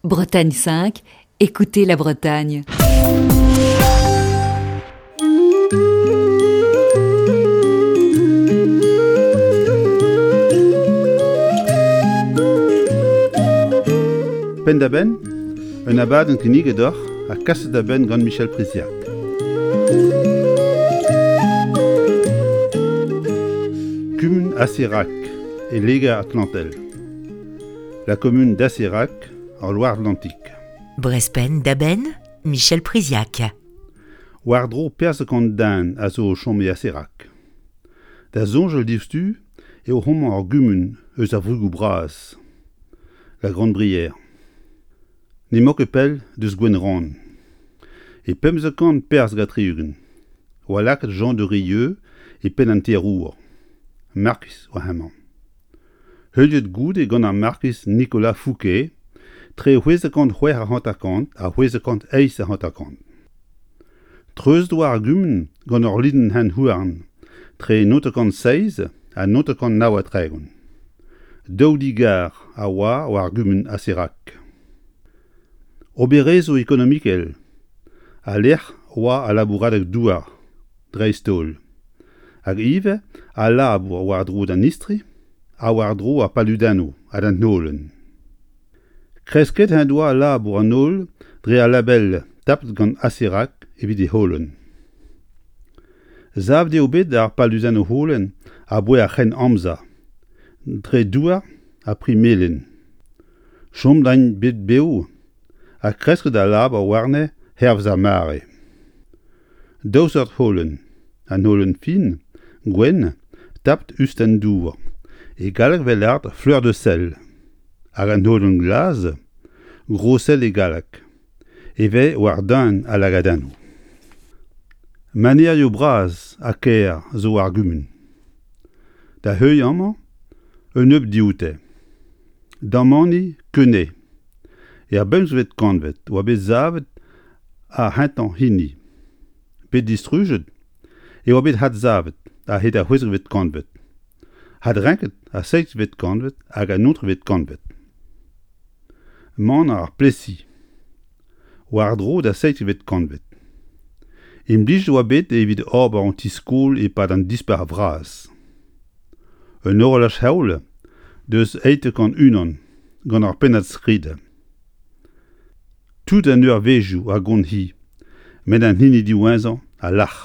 Bretagne 5, écoutez la Bretagne. Penn-da-benn, un abadenn kinniget deoc'h ha kaset da benn gant Michel Priziac. Kumun Assérac e Liger-Atlantel. La commune d'Assérac en Loire-Atlantique. Brest-Penn da benn, Michel Priziac. War-dro perzh kant den a zo o chom e Assérac. Da soñjal diouzhtu eo homañ ur gumun eus ar Vrugoù Bras, la Grande Brière. N'emañ ket pell deus Gwenrann. E 1500 perzh ha 60 oa lakaet Jean de Rieux e penn an terour, markiz oa hemañ. Heuliet goude gant ar markiz Nicolas Fouquet tre 656 ha 658. Treuzet oa ar gumun gant ur linenn hent-houarn tre 907 ha 939. Daou di-gar a oa war gumun Assérac. Oberezhioù ekonomikel ha lec'h oa al labouradeg-douar dreist-holl, hag ivez al labour war-dro d'an istri ha war-dro ar paludennoù ha d'an holen. Kresket en doa labour an holl dre al label tapet gant Assérac evit e holen. Savet eo bet ar paludennoù holen aboae ar C'hrenn-Amzer, dre douar ha pri melen. Chomet int bet bev ha kresket al labour warne hervez ar mare. Daou seurt holen, an holen fin, gwenn, tapet us d'an dour, e galleg 'vel lâret fleur de sel, hag an holen glas, gros sel e galleg, e vez war deun al lagadennoù. Manerioù bras ha kaer zo war gumun. Da heuilh amañ un nebeud dioute. Damani Quenet. Er bemzvet kantved oa bet savet ar c'hentañ hini. Bet distrujet e oa bet adsavet a-hed ar c'hwezekvet kantved, adrenket ar seizhvet kantved hag an naontekvet kantved. Maner ar Plessis, war-dro da seizhvet kantved. Implijet e oa bet evit ober un ti-skol e-pad an Dispac'h Vras. Un horolaj-heol deus 801 gant ur pennad-skrid. Tout an eurvezhioù a gont-hi, met an hini diwezhañ a lâr.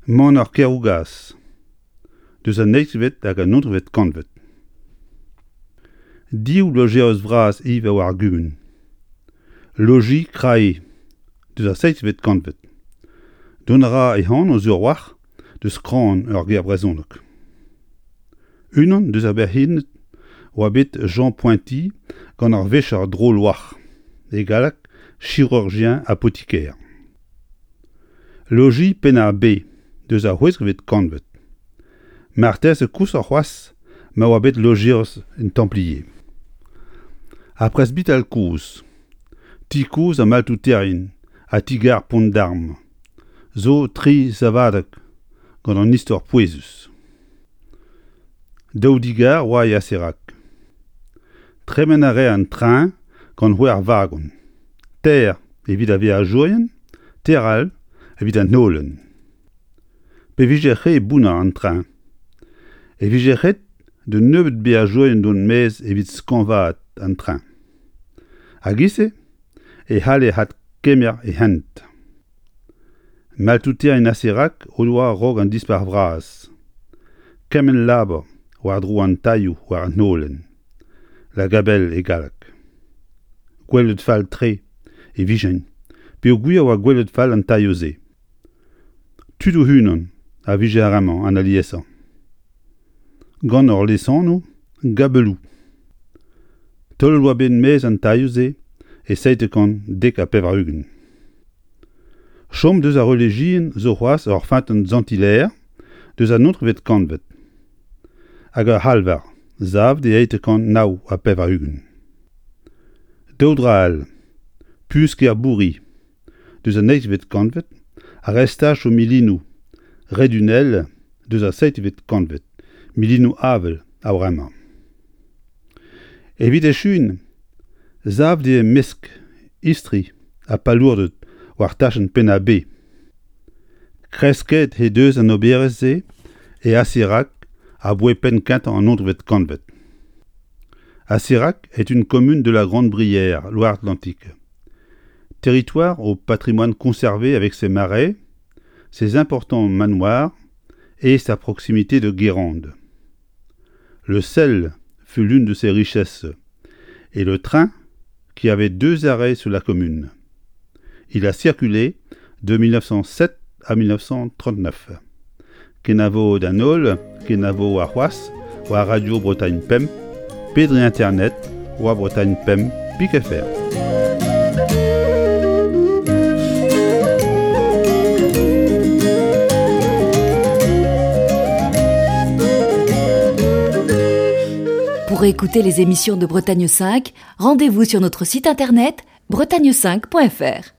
Maner Kerougas, deus an eizhvet hag an naontekvet kantved. Div lojeris vras ivez war ar gumun. Loji Krae, deus ar seizhvet kantved. Dont a ra e anv sur a-walc'h deus kran ur ger brezhonek. Unan deus ar berc'henned oa bet Jean Pointy gant ar vecher dro-loar, e galleg chirurgien apothicaire. Loji Penn-ar-Be deus ar c'hwezekvet kantved. Marteze koshoc'h c'hoazh ma oa bet lojeris en Templier. Ar presbital kozh, ti kozh ar maltouterien ha ti-gar Pont-d'Arm zo tri savadeg gant an istor pouezus. Daou di-gar oa e Assérac. Tremen a rae an treñ gant c'hwec'h vagon, teir evit ar veajourien, teir all evit an holen. Pe vije re bounner an treñ e vije ret d'un nebeud beajourien dont maez evit skañvaat an treñ. A-giz-se e c'halle adkemer e hent. Maltouterien Assérac o doa a-raok an Dispac'h Vras. Kement labour war-dro an tailhoù war an holen, La Gabelle e galleg. Gwelet fall-tre e vijent peogwir e oa gwelet fall an tailhoù-se. Tud o-unan a vije ar re-mañ an aliesañ. Gant ur lesanv Gabelou. Taolet oa bet maez an tailhoù-se e 790. Chom deus ar relijion zo c'hoazh ur feunteun Sant-Hilaer deus an naontekvet kantved hag ur c'halvar savet e 889. Daou dra all, puñs Kerbouri deus an eizhvet kantved ha restachoù milinoù Redunel deus ar seizhvet kantved, milinoù avel a-vremañ. Evit echuiñ. Savet eo e-mesk istri ha palourded war tachenn Penn-ar-Be. Kresket he deus an oberezh-se e Asirac aboae penn-kentañ an nontekvet kantved. Asirac est une commune de la Grande-Brière, Loire-Atlantique. Territoire au patrimoine conservé avec ses marais, ses importants manoirs et sa proximité de Guérande. Le sel fut l'une de ses richesses et le train qui avait deux arrêts sur la commune. Il a circulé de 1907 à 1939. Kenavo d'an holl, kenavo arc'hoazh war Radio Bretagne Pemp pe dre internet war Bretagne Pemp pik fr. Pour écouter les émissions de Bretagne 5, rendez-vous sur notre site internet bretagne5.fr.